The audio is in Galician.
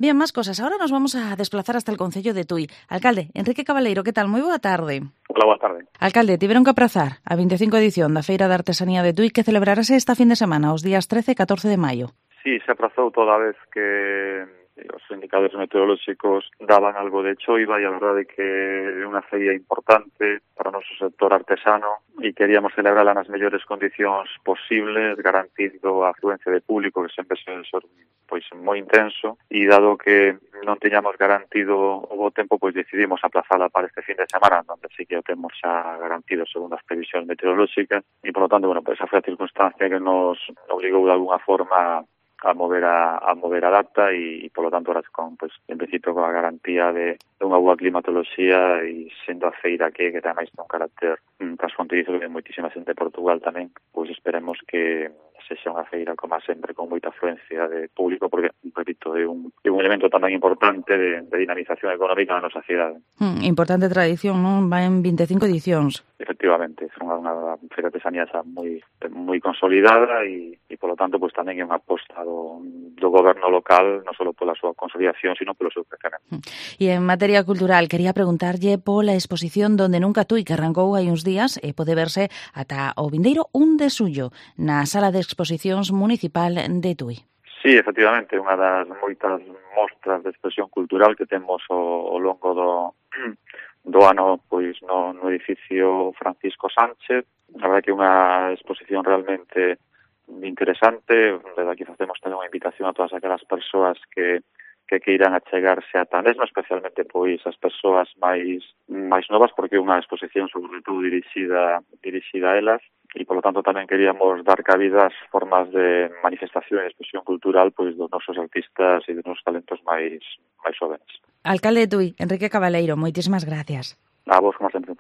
Bien, más cosas. Ahora nos vamos a desplazar hasta el concello de Tui. Alcalde, Enrique Cabaleiro, que tal? Moi boa tarde. Hola, boa tarde. Alcalde, tiveron que aprazar a 25 edición da Feira de Artesanía de Tui que celebrarase esta fin de semana, os días 13 e 14 de maio. Sí, se aprazou toda vez que os indicadores meteorolóxicos daban algo de choiva e a verdade que é unha feira importante para o noso sector artesano e queríamos celebrarla nas mellores condicións posibles, garantindo a afluencia de público que sempre se pois moi intenso, e dado que non teñamos garantido o bo tempo, pois decidimos aplazala para este fin de semana, onde sí que o temos xa garantido segundo as previsións meteorolóxicas, e por lo tanto, bueno, pues esa foi a circunstancia que nos obligou de alguna forma a mover a data e por lo tanto ahora con, pues, en principio con a garantía de unha boa climatoloxía e sendo a feira que ten máis un carácter transfronterizo que ten moitísima xente de Portugal tamén, pois esperemos que sexa unha feira como sempre con moita afluencia de público porque, repito, é un elemento tamén importante de dinamización económica na nosa cidade. Importante tradición, non? Va en 25 edicións. Efectivamente, é unha feira de artesanía xa moi consolidada e polo tanto pues tamén é unha aposta do goberno local, non só pola súa consolidación, sino polo seu crecemento. E en materia cultural, quería preguntarlle pola exposición Donde Nunca Tui, que arrancou hai uns días e pode verse ata o vindeiro 1 de xullo na Sala de Exposicións Municipal de Tui. Sí, efectivamente, unha das moitas mostras de expresión cultural que temos ao longo do ano pois no edificio Francisco Sánchez. A verdade que é unha exposición realmente interesante, desde aquí facemos tamén unha invitación a todas aquelas persoas que queiran achegarse a mesmo, especialmente pois as persoas máis novas, porque é unha exposición sobre todo dirixida a elas, e polo tanto tamén queríamos dar cabida ás formas de manifestación e expresión cultural pois dos nosos artistas e dos nosos talentos máis jóvenes. Alcalde de Tui, Enrique Cabaleiro, moitísimas gracias. A vos, como sempre.